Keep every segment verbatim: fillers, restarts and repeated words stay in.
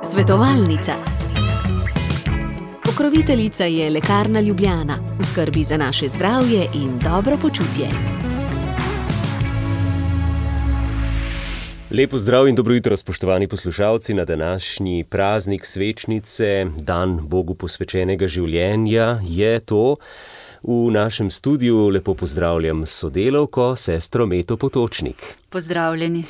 Svetovalnica. Pokroviteljica je Lekarna Ljubljana, v skrbi za naše zdravje in dobro počutje. Lepo zdrav in dobro jutro, spoštovani poslušalci, na današnji praznik svečnice, dan Bogu posvečenega življenja, je to. V našem studiu lepo pozdravljam sodelavko, sestro Meto Potočnik. Pozdravljeni.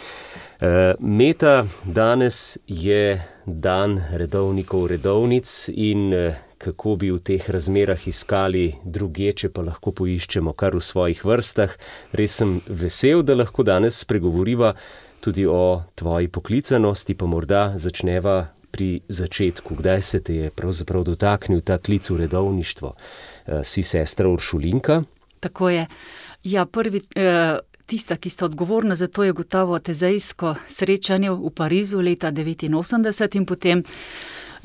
Meta, danes je dan redovnikov redovnic in kako bi v teh razmerah iskali drugje, če pa lahko poiščemo kar v svojih vrstah. Res sem vesel, da lahko danes spregovoriva tudi o tvoji poklicanosti, pa morda začneva pri začetku. Kdaj se te je pravzaprav dotaknil ta klic v redovništvo? Si sestra Uršulinka? Tako je. Ja, prvi, tista, ki sta odgovorna za to, je gotovo tezejsko srečanje v Parizu leta devetinosemdeset in potem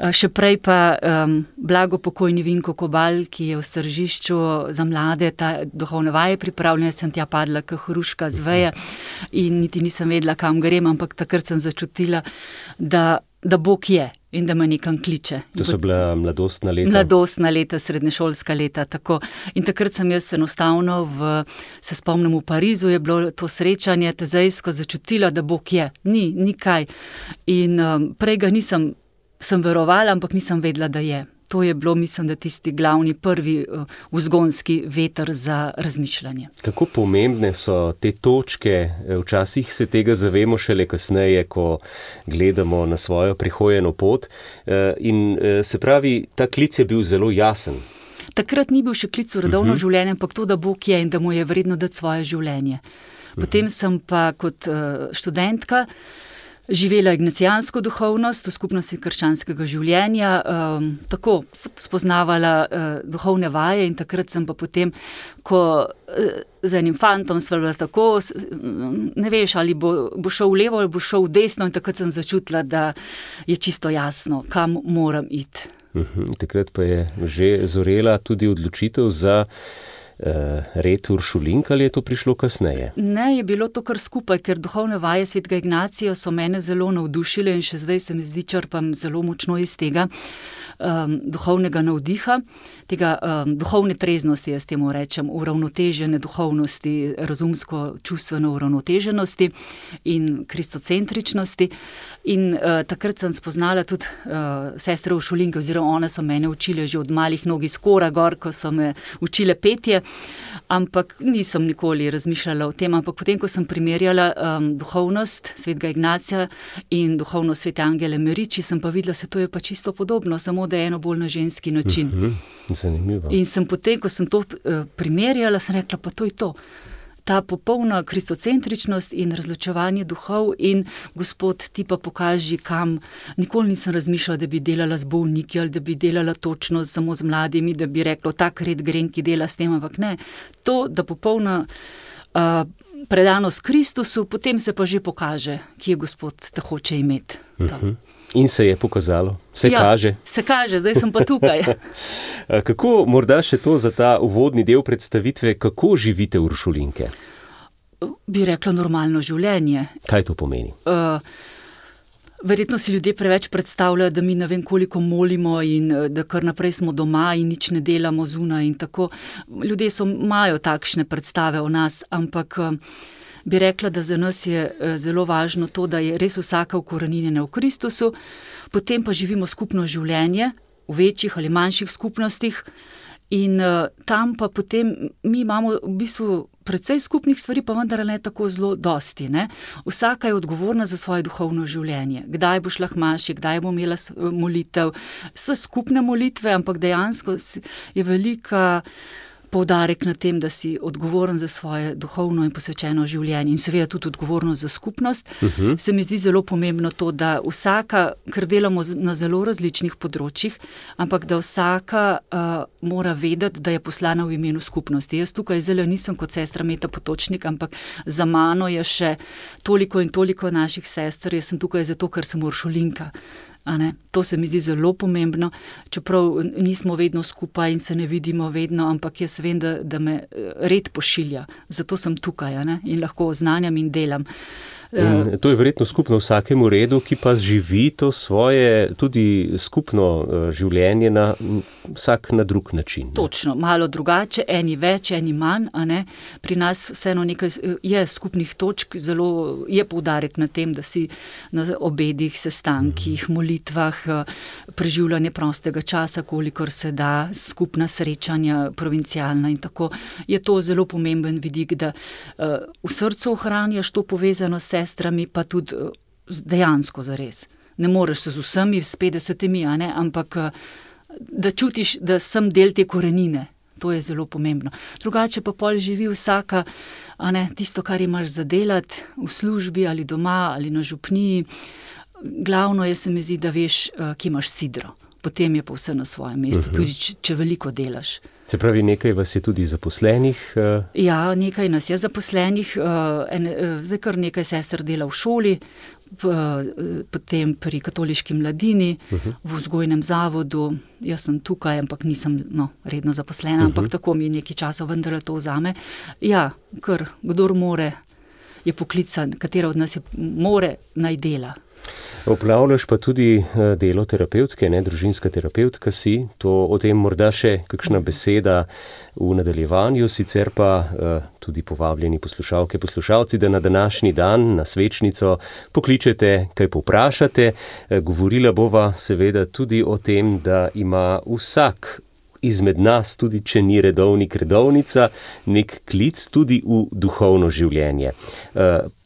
še prej pa um, blago pokojni Vinko Kobal, ki je v Stržišču za mlade ta duhovne vaje pripravljena, sem tja padla kot hruška z veje in niti nisem vedela, kam grem, ampak takrat sem začutila, da, da Bog je in da me nekam kliče. To so bila mladostna leta? Mladostna leta, srednješolska leta, tako. In takrat sem jaz enostavno, v, se spomnim, v Parizu je bilo to srečanje tezejsko začutila, da Bog je. Ni, ni kaj. In um, prej ga nisem sem verovala, ampak nisem vedela, da je. To je bilo, mislim, da tisti glavni, prvi uh, vzgonski veter za razmišljanje. Kako pomembne so te točke? Včasih se tega zavemo šele kasneje, ko gledamo na svojo prihojeno pot. Uh, in uh, se pravi, ta klic je bil zelo jasen. Takrat ni bil še klic v redovno uh-huh. življenje, ampak to, da Bog je in da mu je vredno dati svoje življenje. Potem uh-huh. sem pa kot uh, študentka živela ignacijansko duhovnost v skupnosti krščanskega življenja, um, tako spoznavala uh, duhovne vaje in takrat sem pa potem, ko uh, z enim fantom sva bila tako, ne veš, ali bo, bo šel v levo ali bo šel v desno in takrat sem začutila, da je čisto jasno, kam moram iti. Uhum, takrat pa je že zorela tudi odločitev za Uh, red Uršulinka, ali je to prišlo kasneje? Ne, je bilo to kar skupaj, ker duhovne vaje svetega Ignacija so mene zelo navdušile in še zdaj se mi zdi, črpam zelo močno iz tega um, duhovnega navdiha, tega um, duhovne treznosti, jaz temu rečem, uravnotežene duhovnosti, razumsko-čustveno uravnoteženosti in kristocentričnosti. In uh, takrat sem spoznala tudi uh, sestre Uršulinke, oziroma one so mene učile že od malih nog iz Kora gor, ko so me učile petje, ampak nisem nikoli razmišljala o tem, ampak potem, ko sem primerjala um, duhovnost svetega Ignacija in duhovnost svete Angele Meriči, sem pa videla, se to je pa čisto podobno, samo da je eno bolj na ženski način. Mm-hmm. Zanimivo. In sem potem, ko sem to uh, primerjala, sem rekla, pa to je to. Ta popolna kristocentričnost in razločevanje duhov in Gospod, ti pa pokaži, kam. Nikoli nisem razmišljala, da bi delala z bolniki ali da bi delala točno samo z mladimi, da bi rekla, tak red grem, ki dela s tem, ampak ne. To, da popolna uh, predanost Kristusu, potem se pa že pokaže, ki je Gospod te hoče imeti. Uh-huh. In se je pokazalo, se ja, kaže. Se kaže, zdaj sem pa tukaj. Kako, morda še to za ta uvodni del predstavitve, kako živite Uršulinke? Bi rekla normalno življenje. Kaj to pomeni? Uh, verjetno si ljudje preveč predstavljajo, da mi ne vem koliko molimo in da kar naprej smo doma in nič ne delamo zunaj in tako. Ljudje so, imajo takšne predstave o nas, ampak bi rekla, da za nas je zelo važno to, da je res vsaka ukoreninjena v Kristusu, potem pa živimo skupno življenje v večjih ali manjših skupnostih in uh, tam pa potem mi imamo v bistvu precej skupnih stvari, pa vendar ne tako zelo dosti. Ne? Vsaka je odgovorna za svoje duhovno življenje. Kdaj bo šla k maši, kdaj bo imela molitev, so skupne molitve, ampak dejansko je velika poudarek na tem, da si odgovoren za svoje duhovno in posvečeno življenje in seveda tudi odgovornost za skupnost. Uh-huh. Se mi zdi zelo pomembno to, da vsaka, ker delamo na zelo različnih področjih, ampak da vsaka uh, mora vedeti, da je poslana v imenu skupnosti. Jaz tukaj zelo nisem kot sestra Meta Potočnik, ampak za mano je še toliko in toliko naših sester. Jaz sem tukaj zato, ker sem Uršulinka. A ne? To se mi zdi zelo pomembno, čeprav nismo vedno skupaj in se ne vidimo vedno, ampak jaz vem, da, da me red pošilja. Zato sem tukaj, a ne? In lahko oznanjam in delam. In to je verjetno skupno vsakemu redu, ki pa živi to svoje tudi skupno življenje na vsak na drug način. Ne? Točno, malo drugače, eni več, eni manj, a ne. Pri nas vseeno nekaj je skupnih točk, zelo je poudarek na tem, da si na obedih, sestankih, molitvah, preživljanje prostega časa, kolikor se da, skupna srečanja, provincialna in tako. Je to zelo pomemben vidik, da v srcu ohranjaš to povezano s sestrami, pa tudi dejansko zares. Ne moreš se z vsemi, s petdesetimi, a ne, ampak da čutiš, da sem del te korenine. To je zelo pomembno. Drugače pa pol živi vsaka, a ne, tisto, kar imaš za delati v službi ali doma ali na župniji. Glavno je, se mi zdi, da veš, kje imaš sidro. Potem je pa vse na svojem mestu, uh-huh. tudi če, če veliko delaš. Se pravi, nekaj vas je tudi zaposlenih? Uh... Ja, nekaj nas je zaposlenih. Uh, en, uh, zdaj kar nekaj sester dela v šoli, p, uh, potem pri katoliški mladini, uh-huh. v vzgojnem zavodu. Jaz sem tukaj, ampak nisem no, redno zaposlena, uh-huh. ampak tako mi nekaj časa vendar to vzame. Ja, kar kdor more, je poklican, katera od nas je more, naj dela. Opravljaš pa tudi delo terapevtke, ne, družinska terapevtka si, to o tem morda še kakšna beseda v nadaljevanju, sicer pa tudi povabljeni poslušalke, poslušalci, da na današnji dan, na svečnico, pokličete, kaj povprašate. Govorila bova seveda tudi o tem, da ima vsak izmed nas, tudi če ni redovnik, redovnica, nek klic tudi v duhovno življenje.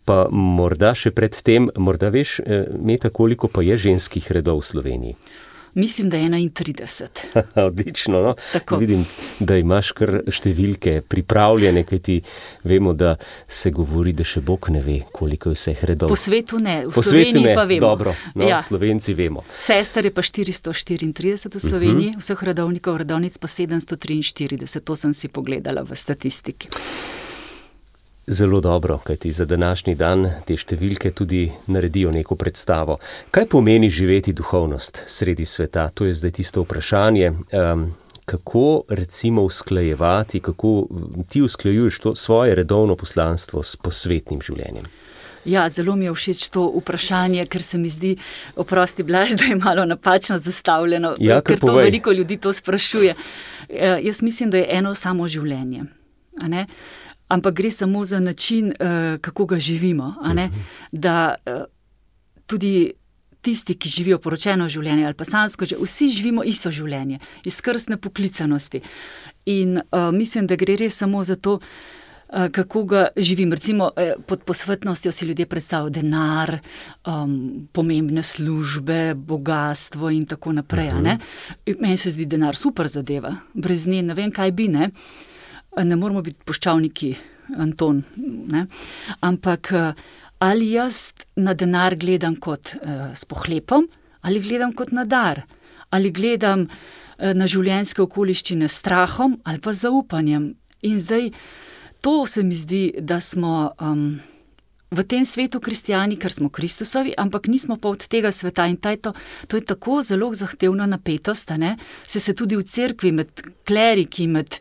Pa morda še pred tem, morda veš, Meta, koliko pa je ženskih redov v Sloveniji? Mislim, da je enaintrideset. Odlično, no. Tako. Vidim, da imaš kar številke pripravljene, kajti vemo, da se govori, da še Bog ne ve, koliko je vseh redov. Po svetu ne, v po Sloveniji svetu ne. Pa vemo. Dobro, no, ja. Slovenci vemo. Sester je pa štiristo štiriintrideset v Sloveniji, uh-huh. vseh redovnikov, redovnic pa sedemsto triinštirideset, to sem si pogledala v statistiki. Zelo dobro, kajti za današnji dan te številke tudi naredijo neko predstavo. Kaj pomeni živeti duhovnost sredi sveta? To je zdaj tisto vprašanje. Um, kako recimo usklajevati, kako ti usklajuješ to svoje redovno poslanstvo s posvetnim življenjem? Ja, zelo mi je všeč to vprašanje, ker se mi zdi, oprosti Blaž, da je malo napačno zastavljeno, ja, ker to veliko ljudi to sprašuje. Uh, jaz mislim, da je eno samo življenje, a ne? Ampak gre samo za način, uh, kako ga živimo, a ne? Da uh, tudi tisti, ki živijo poročeno življenje ali pa sansko, vsi živimo isto življenje, iz krstne poklicanosti. In uh, mislim, da gre res samo za to, uh, kako ga živim. Recimo uh, pod posvetnostjo si ljudje predstavljajo denar, um, pomembne službe, bogatstvo in tako naprej. Uh-huh. A ne? Meni se zdi denar super zadeva, brez nje ne vem, kaj bi, ne? Ne moramo biti poščavniki, Anton, ne? Ampak ali jaz na denar gledam kot uh, s pohlepom, ali gledam kot na dar, ali gledam uh, na življenjske okoliščine s strahom ali pa zaupanjem. In zdaj to se mi zdi, da smo um, v tem svetu kristijani, ker smo Kristusovi, ampak nismo pa od tega sveta in to, to je tako zelo zahtevna napetost, ne? Se se tudi v cerkvi med kleriki, med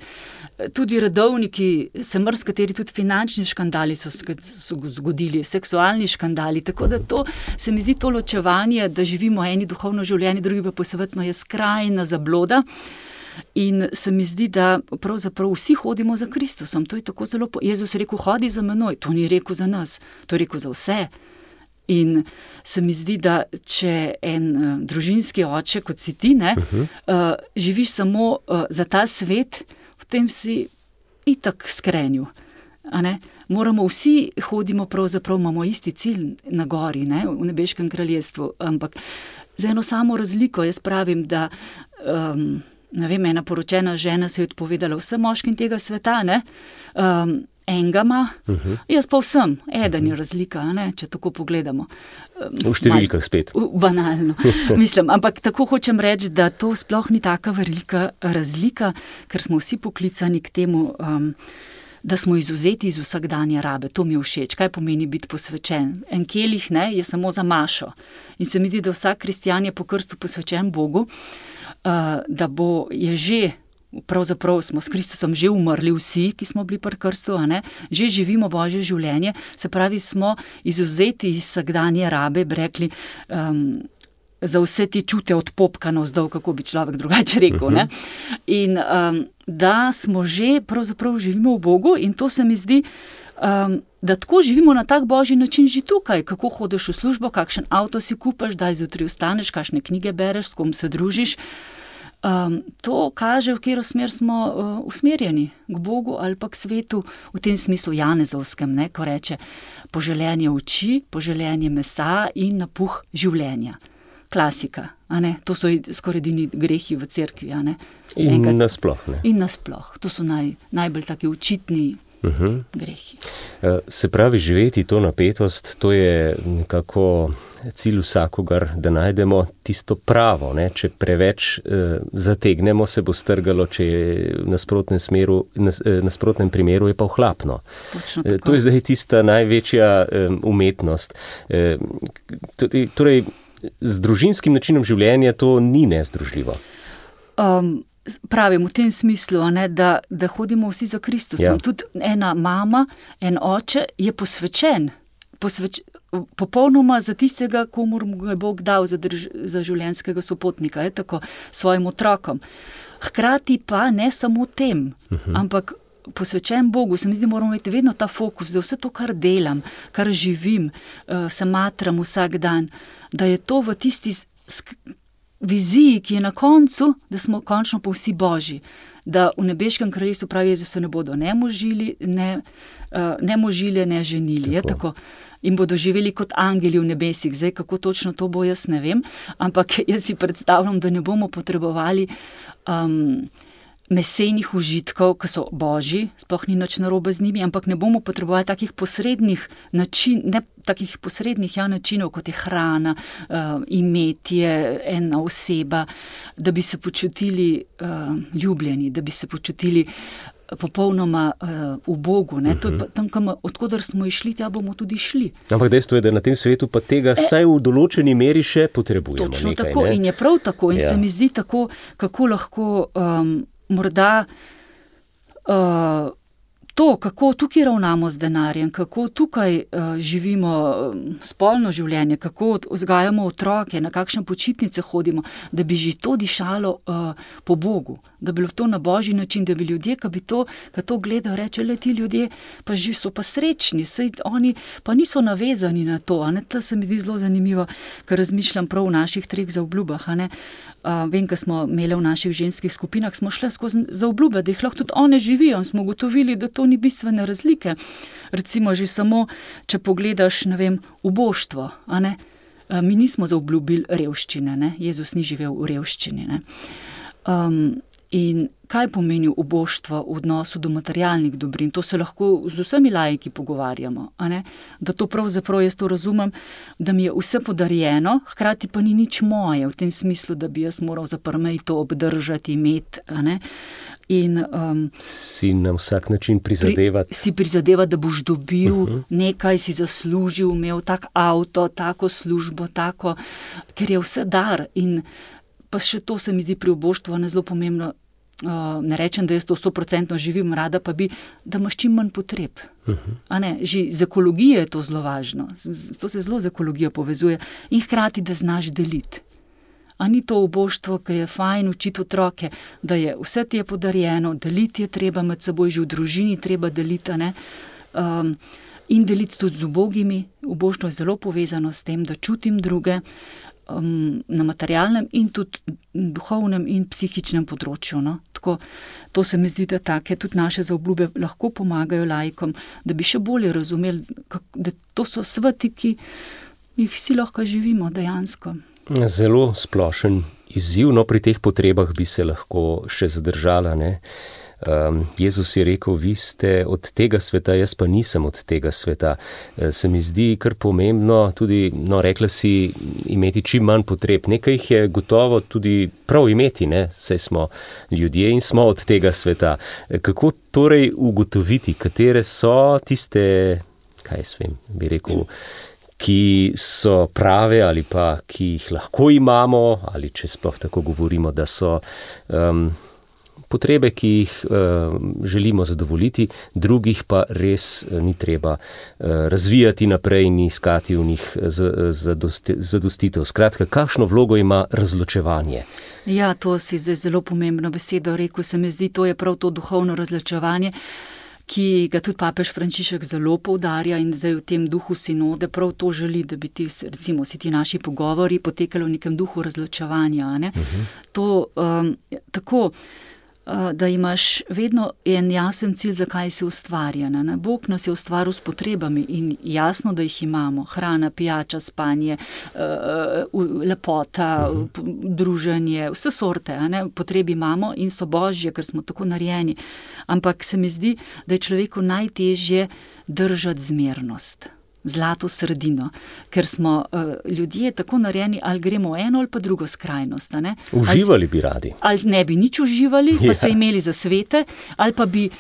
tudi redovniki, se mrskateri tudi finančni škandali so, so zgodili, seksualni škandali, tako da to se mi zdi to ločevanje, da živimo eni duhovno življenje, drugi pa posvetno, je skrajna zabloda. In se mi zdi, da pravzaprav vsi hodimo za Kristusom. To je tako zelo, Jezus rekel, hodi za menoj, to ni rekel za nas, to je rekel za vse. In se mi zdi, da če en uh, družinski oče, kot si ti, ne, uh-huh. uh, živiš samo uh, za ta svet, potem si itak skrenju. A ne? Moramo vsi hodimo, pravzaprav imamo isti cilj na gori, ne, v nebeškem kraljestvu, ampak za eno samo razliko, jaz pravim, da um, ne vem, ena poročena žena se je odpovedala vsem moškim tega sveta, ne, um, enega ima, uh-huh. jaz pa vsem, eden je razlika, ne, če tako pogledamo. Um, v številkah spet. Mal, banalno, mislim, ampak tako hočem reči, da to sploh ni taka velika razlika, ker smo vsi poklicani k temu, um, da smo izvzeti iz vsakdanje rabe. To mi je všeč. Kaj pomeni biti posvečen? En kelih, ne, je samo za mašo. In se mi zdi, da vsak kristjan je po krstu posvečen Bogu, uh, da bo, je že pravzaprav smo s Kristusom že umrli vsi, ki smo bili pri krstu, a ne, že živimo Božje življenje, se pravi, smo izvzeti iz vsakdanje rabe, bi rekli, um, za vse te čute od popka navzdol, kako bi človek drugače rekel, ne. In um, da smo že, pravzaprav živimo v Bogu in to se mi zdi, um, da tako živimo na tak Božji način že tukaj, kako hodiš v službo, kakšen avto si kupaš, daj zjutraj vstaneš, kakšne knjige bereš, s kom se družiš. Um, to kaže, v katero smer smo uh, usmerjeni, k Bogu ali pa k svetu, v tem smislu janezovskem, ne, ko reče poželenje oči, poželenje mesa in napuh življenja. Klasika, a ne, to so skoraj edini grehi v cerkvi, a ne. In Enkrat, nasploh, ne. In nasploh, to so naj, najbolj taki očitni uh-huh. grehi. Se pravi, živeti to napetost, to je nekako cilj vsakogar, da najdemo tisto pravo, ne? Če preveč eh, zategnemo, se bo strgalo, če je v nasprotnem smeru, nas, eh, nasprotnem primeru je pa ohlapno. Eh, to je zdaj tista največja eh, umetnost. Eh, torej, z družinskim načinom življenja to ni nezdružljivo. Um, pravim v tem smislu, ne, da, da hodimo vsi za Kristusom. Ja. Tudi ena mama, en oče je posvečen, posveč, popolnoma za tistega, komur mu je Bog dal za, drž, za življenjskega sopotnika, je tako, svojim otrokom. Hkrati pa ne samo tem, uh-huh. ampak posvečen Bogu. Se mi zdi, moramo imeti vedno ta fokus, da vse to, kar delam, kar živim, se matram vsak dan, da je to v tisti sk- viziji, ki je na koncu, da smo končno pa vsi Božji. Da v nebeškem kraljestvu, pravi Jezus, se ne bodo ne možili, ne, ne možile, ne ženili. Tako. Je tako. In bodo živeli kot angeli v nebesih. Zdaj, kako točno to bo, jaz ne vem, ampak jaz si predstavljam, da ne bomo potrebovali um, mesenih užitkov, ki so Božji, sploh ni nič narobe z njimi, ampak ne bomo potrebovali takih posrednih način, ne takih posrednih ja, načinov, kot je hrana, uh, imetje, ena oseba, da bi se počutili uh, ljubljeni, da bi se počutili popolnoma uh, v Bogu. Ne? Uh-huh. To je pa tam, kam, odkudar smo išli, tja bomo tudi šli. Ampak dejstvo je, da na tem svetu pa tega e, vsaj v določeni meri še potrebujemo. Točno nekaj, tako ne? In je prav tako in ja. se mi zdi tako, kako lahko um, morda uh, to, kako tukaj ravnamo z denarjem, kako tukaj uh, živimo spolno življenje, kako vzgajamo otroke, na kakšne počitnice hodimo, da bi že to dišalo uh, po Bogu, da bi bilo to na Božji način, da bi ljudje, ki bi to, ki to gledajo, reče, le ti ljudje pa že so pa srečni, saj oni pa niso navezani na to, a ne, to se mi zdi zelo zanimivo, ker razmišljam prav v naših treh zaobljubah, a ne. Uh, vem, ko smo imeli v naših ženskih skupinah, smo šli skozi zaobljube, da jih lahko tudi one živijo in smo ugotovili, da to ni bistvene razlike. Recimo že samo, če pogledaš, ne vem, uboštvo, a ne, uh, mi nismo zaobljubili revščine, ne, Jezus ni živel v revščini, ne. Um, in kaj pomeni uboštvo v odnosu do materialnih dobrin? To se lahko z vsemi laiki pogovarjamo, a ne? Da to pravzaprav jaz to razumem, da mi je vse podarjeno, hkrati pa ni nič moje, v tem smislu, da bi jaz moral zaprmej to obdržati, imeti, a ne? In, um, si na vsak način prizadevati. Pri, si prizadevati, da boš dobil uh-huh. nekaj, si zaslužil, imel tak avto, tako službo, tako, ker je vse dar. In pa še to se mi zdi pri uboštvu ne zelo pomembno. Uh, ne rečem, da jaz to sto procentno živim, rada pa bi, da imaš čim manj potreb. Uh-huh. A ne, že z ekologije je to zelo važno. Z, to se zelo z ekologijo povezuje. In hkrati, da znaš deliti. A ni to uboštvo, ki je fajn učiti otroke, da je vse ti je podarjeno, deliti je treba med seboj, že v družini treba deliti, ne? Um, in deliti tudi z ubogimi. Uboštvo je zelo povezano s tem, da čutim druge, Um, na materialnem in tudi duhovnem in psihičnem področju. No? Tako, to se mi zdi, da take tudi naše zaobljube lahko pomagajo laikom, da bi še bolje razumeli, kak, da to so sveti, ki jih vsi lahko živimo dejansko. Zelo splošen izziv, no pri teh potrebah bi se lahko še zadržala, ne? Um, Jezus je rekel, vi ste od tega sveta, jaz pa nisem od tega sveta. E, se mi zdi kar pomembno tudi, no rekla si, imeti čim manj potreb. Nekaj jih je gotovo tudi prav imeti, ne? Saj smo ljudje in smo od tega sveta. E, kako torej ugotoviti, katere so tiste, kaj jaz vem, bi rekel, ki so prave ali pa ki jih lahko imamo, ali če sploh tako govorimo, da so um, potrebe, ki jih uh, želimo zadovoljiti, drugih pa res uh, ni treba uh, razvijati naprej in iskati v njih zadostitev. Skratka, kakšno vlogo ima razločevanje? Ja, to si zdaj zelo pomembno besedo rekel. Se mi zdi, to je prav to duhovno razločevanje, ki ga tudi papež Frančišek zelo poudarja in zdaj v tem duhu sinode prav to želi, da bi ti, recimo, si ti naši pogovori potekali v nekem duhu razločevanja. Ne? Uh-huh. To um, tako, uh, da imaš vedno en jasen cilj, zakaj si ustvarjena. Ne? Bog nas je ustvaril s potrebami in jasno, da jih imamo. Hrana, pijača, spanje, uh, lepota, uh-huh. druženje, vse sorte. Ne? Potrebi imamo in so božje, ker smo tako narejeni. Ampak se mi zdi, da je človeku najtežje držati zmernost, zlato sredino, ker smo uh, ljudje tako narejeni, ali gremo v eno ali pa drugo skrajnost. Ne? Uživali bi radi. Ali ne bi nič uživali, pa ja. se imeli za svete, ali pa bi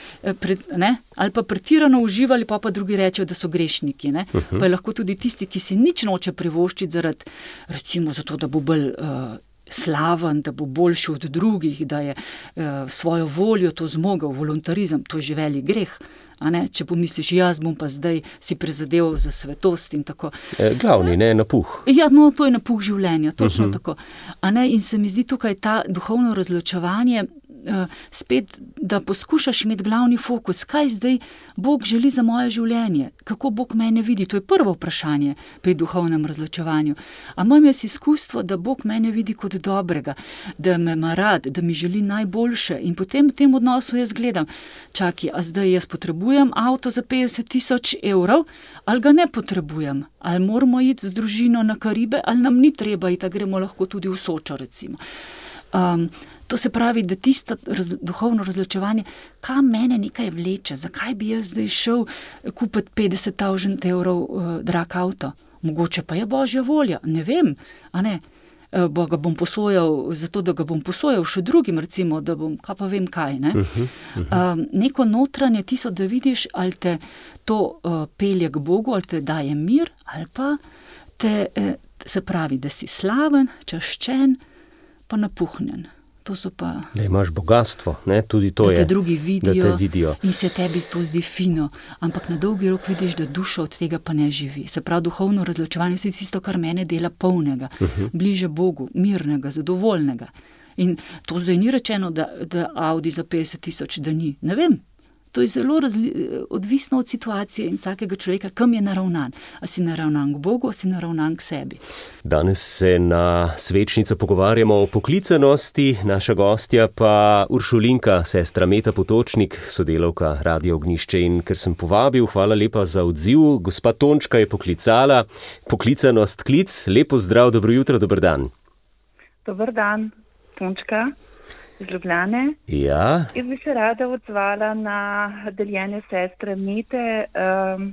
pred, ne, ali pa pretirano uživali, pa pa drugi rečejo, da so grešniki. Ne? Uh-huh. Pa je lahko tudi tisti, ki si nič noče privoščiti zaradi, recimo zato, da bo bolj uh, slaven, da bo boljši od drugih, da je uh, svojo voljo to zmogel, voluntarizem, to je že velik greh. A ne? Če pomisliš, jaz bom pa zdaj si prizadeval za svetost in tako. E, glavni, ne, napuh. Ja, no, to je napuh življenja, točno uh-huh. tako. A ne? In se mi zdi tukaj ta duhovno razločevanje, uh, spet, da poskušaš imeti glavni fokus, kaj zdaj Bog želi za moje življenje, kako Bog mene vidi, to je prvo vprašanje pri duhovnem razločevanju. A imam jaz izkustvo, da Bog mene vidi kot dobrega, da me ima rad, da mi želi najboljše in potem v tem odnosu jaz gledam, čakaj, a zdaj jaz potrebujem avto za petdeset tisoč evrov, ali ga ne potrebujem, ali moramo iti z družino na Karibe, ali nam ni treba iti, a gremo lahko tudi v Sočo, recimo. Um, to se pravi, da tisto raz, duhovno razločevanje, kam mene nekaj vleče, zakaj bi jaz zdaj šel kupiti petdeset tisoč evrov uh, drag avto? Mogoče pa je božja volja, ne vem, a ne? Bo ga bom posojal, zato da ga bom posojal še drugim, recimo, da bom, kaj pa vem kaj, ne? Uh-huh, uh-huh. Um, neko notranje tisto, da vidiš, ali te to uh, pelje k Bogu, ali te daje mir, ali pa te, eh, se pravi, da si slaven, čaščen, pa napuhnjen. To so pa... Da imaš bogatstvo, ne? Tudi to je. Da te drugi vidijo, da te vidijo in se tebi to zdi fino, ampak na dolgi rok vidiš, da duša od tega pa ne živi. Se pravi, duhovno razločevanje je tisto, kar mene dela polnega, uh-huh. bliže Bogu, mirnega, zadovoljnega. In to zdaj ni rečeno, da, da Audi za petdeset tisoč, da ni. Ne vem. To je zelo razli, odvisno od situacije in vsakega človeka, kam je naravnan. A si naravnan k Bogu, a si naravnan k sebi. Danes se na Svečnico pogovarjamo o poklicanosti, naša gostja pa Uršulinka, sestra Meta Potočnik, sodelavka Radio Ognjišče. In ker sem povabil, hvala lepa za odziv. Gospa Tončka je poklicala. Poklicanost, klic, lepo zdrav, dobro jutro, dober dan. Dober dan, Tončka. Iz Ljubljane. Ja. Jaz bi se rada odzvala na deljenje sestre Mete, um,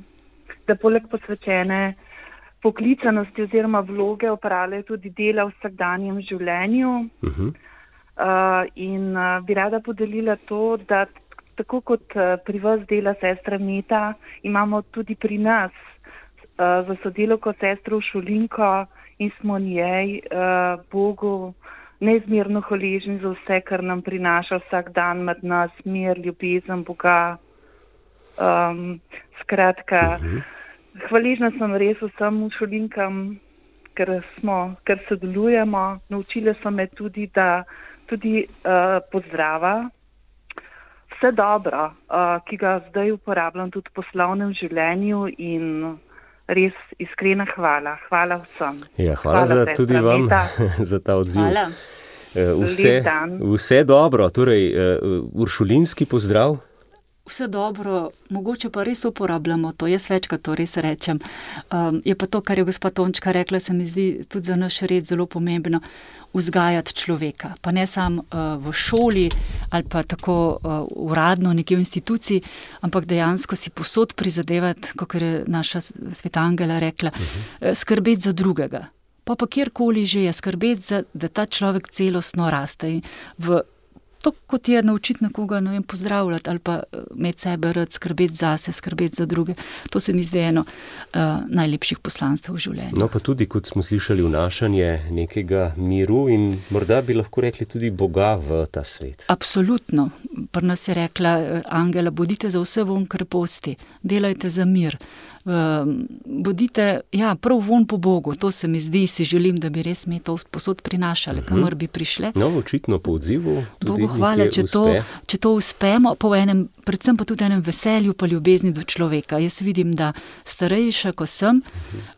da poleg posvečene poklicanosti oziroma vloge opravljajo tudi dela v vsakdanjem življenju. Uh-huh. Uh, in uh, bi rada podelila to, da tako kot uh, pri vas dela sestra Meta, imamo tudi pri nas uh, za sodelavko sestro Uršulinko in smo njej uh, Bogu neizmerno hvaležni za vse, kar nam prinaša vsak dan med nas, mir, ljubezen Boga. Um, skratka, uh-huh. hvaležna sem res vsem Uršulinkam, ker smo, ker sodelujemo. Naučile so me tudi, da tudi uh, pozdrava. Vse dobro, uh, ki ga zdaj uporabljam tudi v poslovnem življenju in res iskrena hvala. Hvala vsem. Ja, hvala, hvala za tudi vam za ta odziv. Hvala. Vse, vse dobro, torej uršulinski pozdrav. Vse dobro, mogoče pa res uporabljamo to, jaz večkrat to res rečem. Um, je pa to, kar je gospa Tončka rekla, se mi zdi tudi za naš red zelo pomembno, vzgajati človeka. Pa ne samo uh, v šoli ali pa tako uh, uradno nekje v instituciji, ampak dejansko si posod prizadevati, kot je naša sveta Angela rekla, uh-huh. skrbeti za drugega. Pa pa kjerkoli že je, skrbeti za, da ta človek celostno raste. V to, kot je naučiti nekoga, ne vem, pozdravljati ali pa med sebe rad, skrbeti zase, skrbeti za druge. To se mi zdi eno uh, najlepših poslanstev v življenju. No, pa tudi, kot smo slišali, vnašanje nekega miru in morda bi lahko rekli tudi Boga v ta svet. Absolutno. Pri nas je rekla Angela, bodite za vse von kreposti, delajte za mir. Um, bodite, ja, prav von po Bogu, to se mi zdi, si želim, da bi res me to posod prinašali, kamor bi prišle. No, očitno po odzivu tudi Bogu hvala, če to, če to uspemo, po enem, predvsem pa tudi enem veselju pa ljubezni do človeka. Jaz vidim, da starejša, ko sem,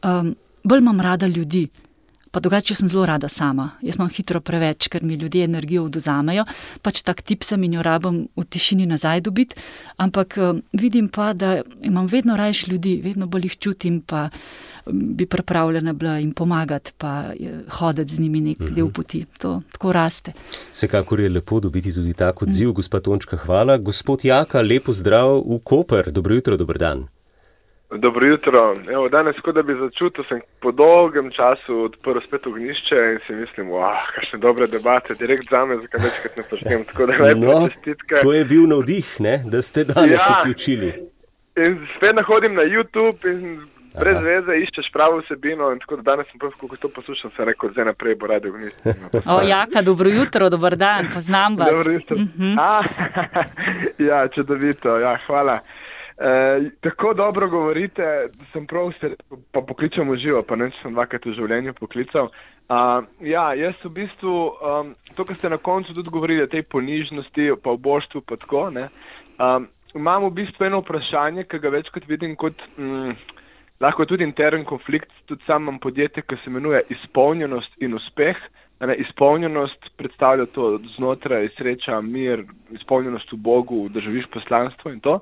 um, bolj imam rada ljudi. Pa drugače sem zelo rada sama. Jaz imam hitro preveč, ker mi ljudje energijo oduzamejo. Pač tak tip sem in jo rabim v tišini nazaj dobiti. Ampak vidim pa, da imam vedno rajš ljudi, vedno bolj jih čutim, pa bi pripravljena bila jim pomagati, pa hoditi z njimi nek del poti. To tako raste. Vsekakor je lepo dobiti tudi tak odziv. Gospa Tončka, hvala. Gospod Jaka, lepo zdrav v Koper. Dobro jutro, dober dan. Dobro jutro. Evo, danes, kot da bi začutil, sem po dolgem času odprl spet ognišče in si mislim, wow, kakšne dobre debate, direkt zame, zakaj večkrat ne počnem, tako da lepo no, čestitke. To je bil navdih, ne, da ste danes ja, vključili. In spet nahodim na YouTube in brez Aha. veze iščeš pravo vsebino in tako da danes sem prv, kako to poslušam, sem rekel, zdaj naprej bo radio ognišče. O, Jaka, dobro jutro, dober dan, poznam vas. Dobro jutro. Mm-hmm. A, ja, čudovito, ja, hvala. E, tako dobro govorite, da sem prav se pa pokličam v živo, pa ne sem dvakrat v življenju poklical. Uh, ja, jaz v bistvu, um, to, kar ste na koncu tudi govorili o tej ponižnosti, pa v boštvu, pa tako, ne, um, imam v bistvu eno vprašanje, ki ga večkrat vidim kot mm, lahko tudi intern konflikt, tudi sam imam podjetje, ki se imenuje izpolnjenost in uspeh. Ne, izpolnjenost predstavlja to znotraj sreča, mir, izpolnjenost v Bogu, da živiš poslanstvo in to.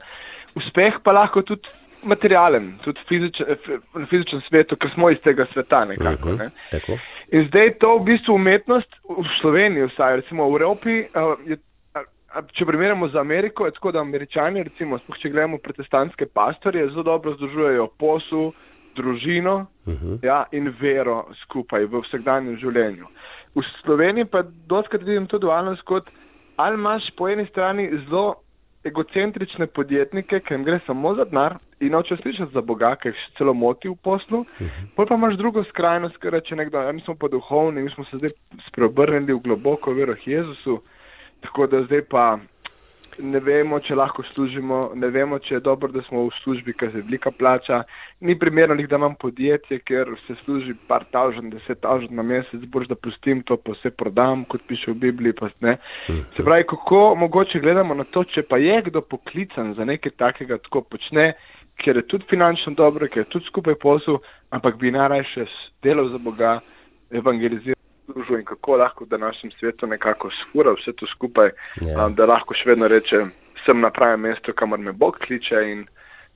Uspeh pa lahko tudi materialen, tudi fizičen, v fizičnem svetu, ker smo iz tega sveta nekako. Ne. Tako. In zdaj to v bistvu umetnost v Sloveniji, vsaj recimo v Evropi, je, če primerjamo z Ameriko, je tako, da Američani, recimo, če gledamo protestantske pastorje, zelo dobro združujejo posel, družino uh-huh. ja, in vero skupaj v vsakdanjem življenju. V Sloveniji pa dostakrat vidim to dualnost kot, ali imaš po eni strani zelo egocentrične podjetnike, ki jim gre samo za denar in noče slišati za Boga, ki jih celo moti v poslu, uh-huh. potem pa imaš drugo skrajnost, ker reče nekdo, ja, mi smo pa duhovni, mi smo se zdaj spreobrnili v globoko vero k Jezusu, tako da zdaj pa ne vemo, če lahko služimo, ne vemo, če je dobro, da smo v službi, ker se velika plača, ni primerno, da imam podjetje, ker se služi par tavžen, deset tavžen na mesec, boš da pustim to, pa vse prodam, kot piše v Bibliji, pa ne. Se pravi, kako mogoče gledamo na to, če pa je kdo poklican za nekaj takega, tako počne, ker je tudi finančno dobro, ker je tudi skupaj posel, ampak bi najrajše delal za Boga, evangeliziral in kako lahko v današnjem svetu nekako sfura vse to skupaj, yeah. um, da lahko še vedno reče, sem na pravem mestu, kamor me Bog kliče in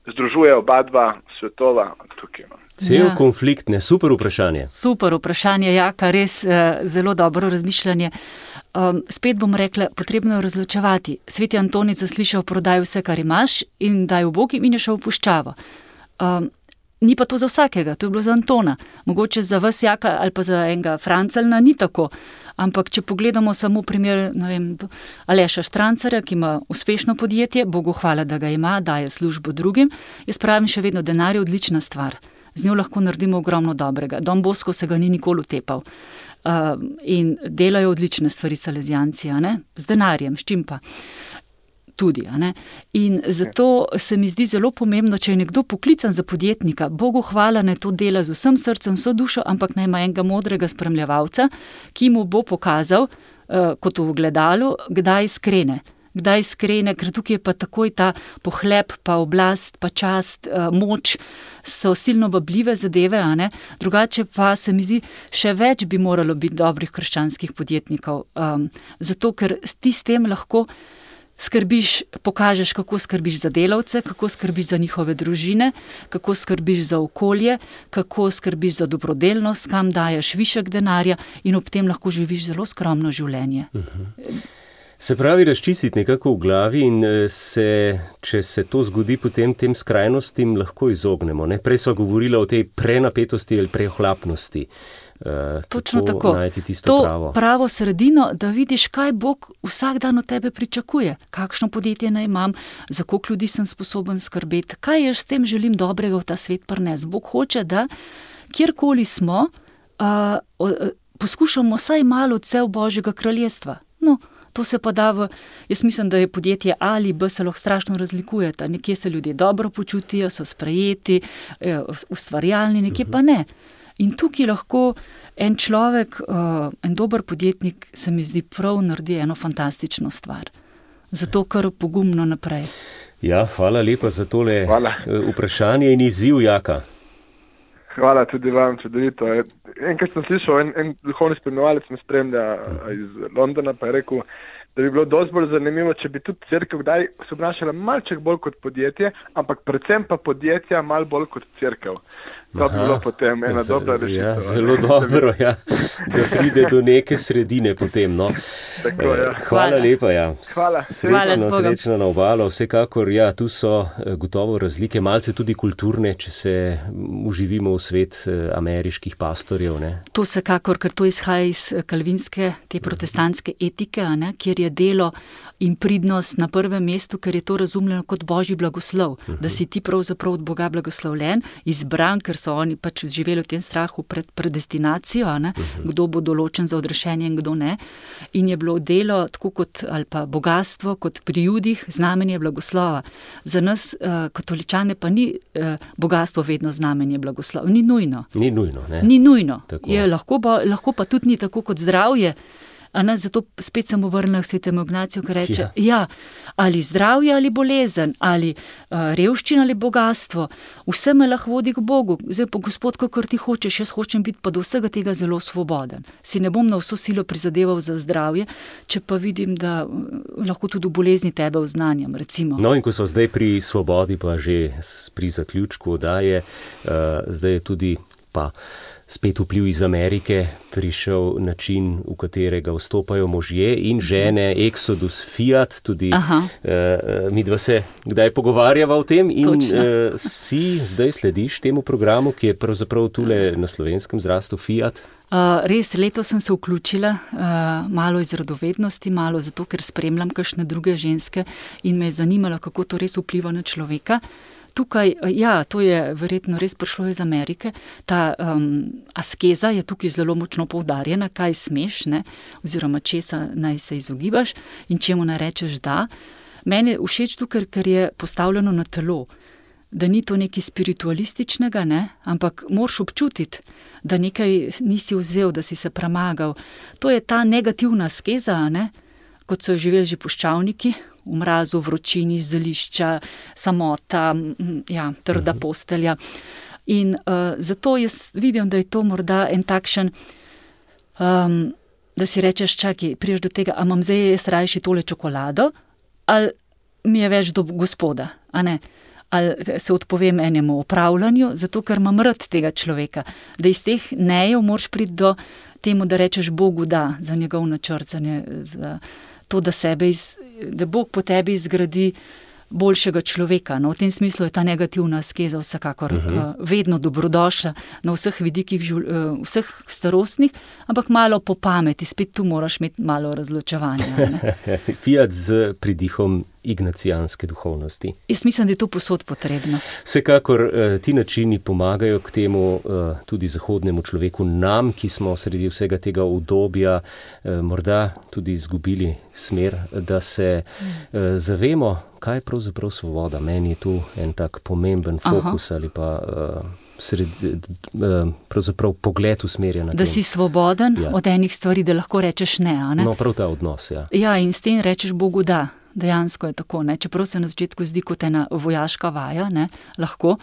združuje oba dva svetova tukaj. No. Cel ja. konflikt, ne, super vprašanje. Super vprašanje, Jaka, res uh, zelo dobro razmišljanje. Um, spet bom rekla, potrebno je razločevati. Sveti Antonic zaslišal, prodaj vse, kar imaš in daj v Bog in je šel v puščavo. Um, Ni pa to za vsakega, to je bilo za Antona. Mogoče za vas, Jaka, ali pa za enega Francelna ni tako. Ampak če pogledamo samo primer, ne vem, Aleša Štrancarja, ki ima uspešno podjetje, Bogu hvala, da ga ima, daje službo drugim, jaz pravim še vedno, denar je odlična stvar. Z njo lahko naredimo ogromno dobrega. Don Bosco se ga ni nikoli utepal. Uh, in delajo odlične stvari salezijanci, a ne? Z denarjem, s čim pa. Tudi, a ne? In zato se mi zdi zelo pomembno, če je nekdo poklican za podjetnika, Bogu hvala, ne to dela z vsem srcem, vso dušo, ampak naj ima enega modrega spremljevalca, ki mu bo pokazal, uh, kot v gledalu, kdaj skrene. Kdaj skrene, ker tukaj je pa takoj ta pohlep, pa oblast, pa čast, uh, moč, so silno vabljive zadeve, a ne? Drugače pa se mi zdi, še več bi moralo biti dobrih krščanskih podjetnikov, um, zato ker ti s tem lahko skrbiš, pokažeš, kako skrbiš za delavce, kako skrbiš za njihove družine, kako skrbiš za okolje, kako skrbiš za dobrodelnost, kam daješ višek denarja in ob tem lahko živiš zelo skromno življenje. Uh-huh. Se pravi, razčistiti nekako v glavi in se, če se to zgodi, potem tem skrajnostim lahko izognemo. Ne? Prej sva govorila o tej prenapetosti ali preohlapnosti. Uh, Točno tako. Najti tisto to pravo. pravo sredino, da vidiš, kaj Bog vsak dan od tebe pričakuje. Kakšno podjetje naj imam, za koliko ljudi sem sposoben skrbeti, kaj jaz s tem želim dobrega v ta svet prines. Bog hoče, da kjerkoli smo, uh, uh, poskušamo vsaj malo odsev Božjega kraljestva. No, to se pa da v, jaz mislim, da je podjetje A ali B se lahko strašno razlikujeta. Nekje se ljudje dobro počutijo, so sprejeti, ustvarjalni, nekje pa ne. In tukaj lahko en človek, en dober podjetnik, se mi zdi prav, naredi eno fantastično stvar. Zato kar pogumno naprej. Ja, hvala lepa za tole hvala. Vprašanje in izziv, Jaka. Hvala tudi vam, čudovito. Enkrat sem slišal, en, en duhovni spremljevalec me spremlja iz Londona, pa je rekel, da bi bilo dosti bolj zanimivo, če bi tudi cerkev kdaj se obnašala malček bolj kot podjetje, ampak predvsem pa podjetja mal bolj kot cerkev. To bi bilo potem ena z, dobra rešitev. Ja, zelo dobro, ja, da pride do neke sredine potem. No. Tako, ja. Hvala, Hvala lepa. Ja. Hvala. Srečno, srečno na obalo. Vsekakor, ja, tu so gotovo razlike, malce tudi kulturne, če se uživimo v svet ameriških pastorjev. Ne. To vsekakor, ker to izhaja iz kalvinske, te protestantske etike, ne, kjer je delo in pridnost na prvem mestu, ker je to razumljeno kot Božji blagoslov, uh-huh. da si ti pravzaprav od Boga blagoslovljen, izbran, ker so oni pač živeli v tem strahu pred predestinacijo, ne, uh-huh. kdo bo določen za odrešenje in kdo ne. In je bilo delo tako kot, ali pa bogatstvo, kot pri Judih, znamenje blagoslova. Za nas, uh, katoličane, pa ni uh, bogatstvo vedno znamenje blagoslova. Ni nujno. Ni nujno, ne? Ni nujno. Je, lahko, ba, lahko pa tudi ni tako kot zdravje. A ne, zato spet sem vrnila k svetemu Ignaciju, ki reče, ja. ja, ali zdravje ali bolezen, ali uh, revščina ali bogatstvo, vse me lahko vodi k Bogu. Zdaj pa, Gospod, kakor ti hočeš, jaz hočem biti pa do vsega tega zelo svoboden. Si ne bom na vso silo prizadeval za zdravje, če pa vidim, da uh, lahko tudi v bolezni tebe oznanjam, recimo. No, in ko so zdaj pri svobodi, pa že pri zaključku daje, uh, zdaj je tudi pa spet vpliv iz Amerike, prišel način, v katerega vstopajo možje in žene, Exodus, Fiat, tudi uh, mi dva se kdaj pogovarjava o tem in uh, si zdaj slediš temu programu, ki je pravzaprav tule na Slovenskem zrastel Fiat? Uh, res, letos sem se vključila uh, malo iz radovednosti, malo zato, ker spremljam kakšne druge ženske in me je zanimalo, kako to res vpliva na človeka. Tukaj, ja, to je verjetno res prišlo iz Amerike, ta um, askeza je tukaj zelo močno poudarjena, kaj smeš, ne, oziroma česa naj se izogibaš in čemu naj rečeš da. Meni je všeč tukaj, ker je postavljeno na telo, da ni to nekaj spiritualističnega, ne, ampak moraš občutiti, da nekaj nisi vzel, da si se premagal. To je ta negativna askeza, ne, kot so živeli že puščavniki, v mrazu, vročini, zelišča, samota, ja, trda postelja. In uh, zato jaz vidim, da je to morda en takšen, um, da si rečeš, čakaj, priješ do tega, a imam zdaj jaz rajši tole čokolado, ali mi je več do Gospoda, a ne? Ali se odpovem enemu opravljanju, zato ker imam rad tega človeka. Da iz teh nejev moraš priti do temu, da rečeš Bogu da, za njegov načrt, za, ne, za to, da, sebe iz, da Bog po tebi izgradi boljšega človeka. No, v tem smislu je ta negativna askeza vsekakor uh-huh. uh, vedno dobrodošla na vseh vidikih, uh, vseh starostnih, ampak malo po pameti, spet tu moraš imeti malo razločevanja. Fiat z pridihom ignacijanske duhovnosti. Jaz mislim, da je to posod potrebno. Vsekakor ti načini pomagajo k temu tudi zahodnemu človeku, nam, ki smo sredi vsega tega udobja morda tudi izgubili smer, da se zavemo, kaj je pravzaprav svoboda. Meni je tu en tak pomemben fokus Aha. ali pa sred, pravzaprav pogled usmerjen na tem. Da si svoboden ja. od enih stvari, da lahko rečeš ne, a ne? No, prav ta odnos, ja. Ja, in s tem rečeš Bogu da. Dejansko je tako, ne? Čeprav se na začetku zdi kot ena vojaška vaja, ne? Lahko,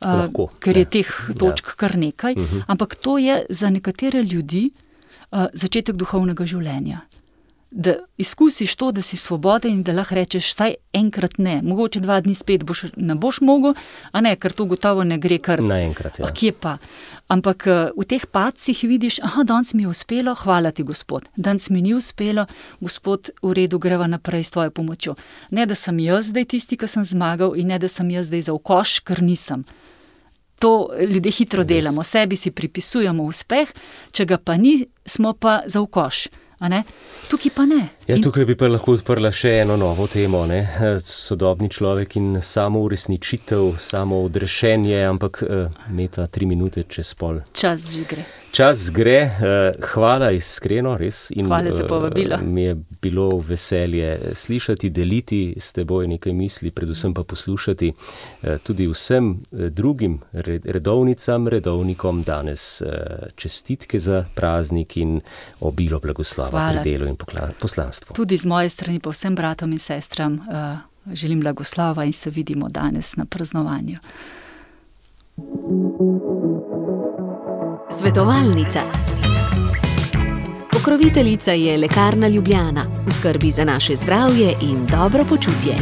Lahko uh, ker je teh točk ja. kar nekaj, uh-huh. ampak to je za nekatere ljudi uh, začetek duhovnega življenja. da izkusiš to, da si svoboden in da lahko rečeš, saj enkrat ne, mogoče dva dni spet boš, ne boš mogel, a ne, ker to gotovo ne gre kar naenkrat. Ja. Kje pa? Ampak v teh padcih vidiš, aha, danes mi je uspelo, hvala ti, Gospod. Danes mi ni uspelo, Gospod, v redu, greva naprej s tvojo pomočjo. Ne, da sem jaz zdaj tisti, ki sem zmagal, in ne, da sem jaz zdaj za ukoš, ker nisem. To ljudje hitro delamo, sebi si pripisujemo uspeh, če ga pa ni, smo pa za ukoš. A ne? Tukaj pa ne. Ja, tukaj bi pa lahko odprla še eno novo temo, ne? Sodobni človek in samo uresničitev, samo odrešenje, ampak Meta, tri minute čez pol. Čas že gre. Čas gre, hvala iskreno, res. In hvala za povabilo. Mi je bilo veselje slišati, deliti s teboj nekaj misli, predvsem pa poslušati tudi vsem drugim redovnicam, redovnikom danes čestitke za praznik in obilo blagoslova hvala. Pri delu in poslanstvu. Tudi z moje strani pa vsem bratom in sestram želim blagoslova in se vidimo danes na praznovanju. Svetovalnica. Pokroviteljica je Lekarna Ljubljana, v skrbi za naše zdravje in dobro počutje.